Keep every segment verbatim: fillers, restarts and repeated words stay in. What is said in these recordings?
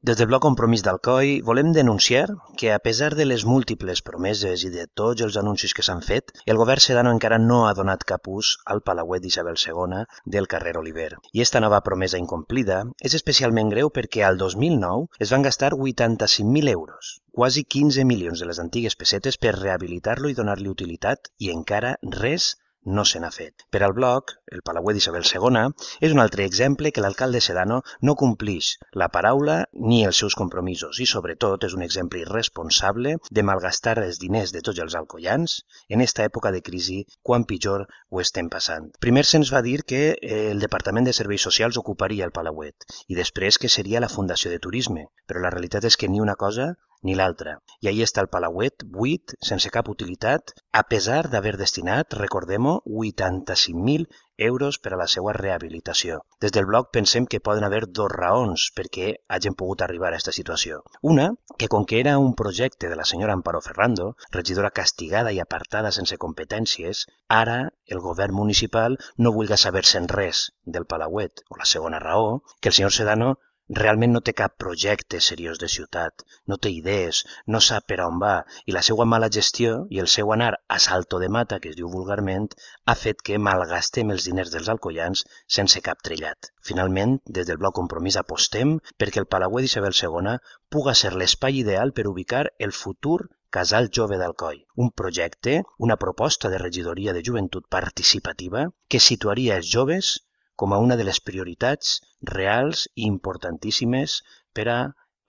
Des del Bloc Compromís d'Alcoi volem denunciar que, a pesar de les múltiples promeses i de tots els anuncis que s'han fet, el govern sedano encara no ha donat cap ús al palauet d'Isabel segona del carrer Oliver. I esta nova promesa incomplida és especialment greu perquè al dos mil nou es van gastar vuitanta-cinc mil euros, quasi quinze milions de les antigues pessetes per rehabilitar-lo i donar-li utilitat, i encara res no se n'ha fet. Per al Bloc, el palauet d'Isabel segona és un altre exemple que l'alcalde sedano no complix la paraula ni els seus compromisos i, sobretot, és un exemple irresponsable de malgastar els diners de tots els alcoians en esta època de crisi quan pitjor ho estem passant. Primer se'ns va dir que el Departament de Serveis Socials ocuparia el palauet i després que seria la Fundació de Turisme, però la realitat és que ni una cosa ni l'altra. I ahí està el palauet, buit, sense cap utilitat, a pesar d'haver destinat, recordem-ho, vuitanta-cinc mil euros per a la seva rehabilitació. Des del Bloc pensem que poden haver dos raons perquè hagin pogut arribar a aquesta situació. Una, que com que era un projecte de la senyora Amparo Ferrando, regidora castigada i apartada sense competències, ara el govern municipal no vulga saber-se'n res del palauet. O la segona raó, que el senyor Sedano realment no té cap projecte seriós de ciutat, no té idees, no sap per on va, i la seva mala gestió i el seu anar a salto de mata, que es diu vulgarment, ha fet que malgastem els diners dels alcoians sense cap trellat. Finalment, des del Bloc Compromís apostem perquè el palauet d'Isabel segona puga ser l'espai ideal per ubicar el futur Casal Jove d'Alcoi, un projecte, una proposta de regidoria de joventut participativa que situaria els joves com a una de les prioritats reals i importantíssimes per a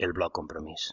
el Bloc Compromís.